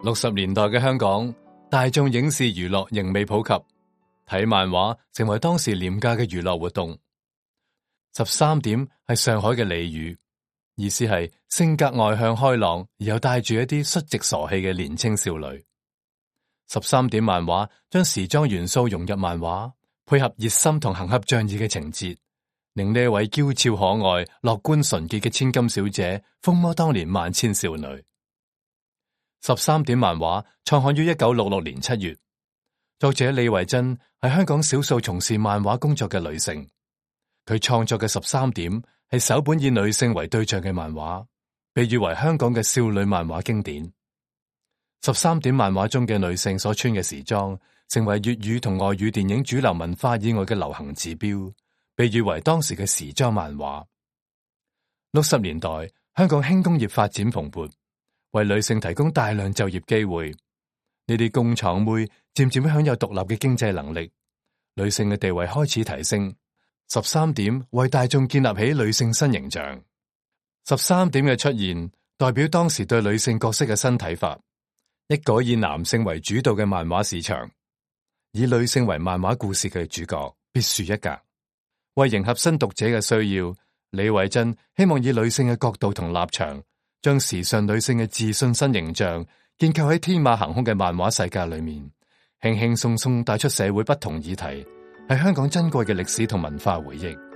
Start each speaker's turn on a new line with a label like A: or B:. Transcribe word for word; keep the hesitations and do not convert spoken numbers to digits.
A: 六十年代嘅香港，大眾影視娛樂仍未普及，睇漫畫成為當時廉價嘅娛樂活動。十三點係上海嘅俚語，意思係性格外向開朗而又帶住一啲率直傻氣嘅年輕少女。十三點漫畫將時裝元素融入漫畫，配合熱心同行俠仗義嘅情節，令呢位嬌俏可愛、樂觀純潔嘅千金小姐風靡當年萬千少女。十三點漫畫創刊於一九六六年七月，作者李維珍係香港少數從事漫畫工作嘅女性。佢創作嘅十三點係首本以女性為對象嘅漫畫，被譽為香港嘅少女漫畫經典。十三點漫畫中嘅女性所穿嘅時裝，成為粵語同外語電影主流文化以外嘅流行指標，被譽為當時嘅時裝漫畫。六十年代，香港輕工業發展蓬勃，為女性提供大量就業機會。呢啲工廠妹漸漸享有獨立嘅經濟能力，女性嘅地位開始提升。十三點為大眾建立起女性新形象。十三點嘅出現，代表當時對女性角色嘅新睇法，一個以男性為主導嘅漫畫市場，以女性為漫畫故事嘅主角，別樹一格。為迎合新讀者嘅需要，李維珍希望以女性嘅角度同立場，將時尚女性嘅自信新形象建構喺天馬行空嘅漫畫世界裏面，輕輕鬆鬆帶出社會不同議題，係香港珍貴嘅歷史同文化回憶。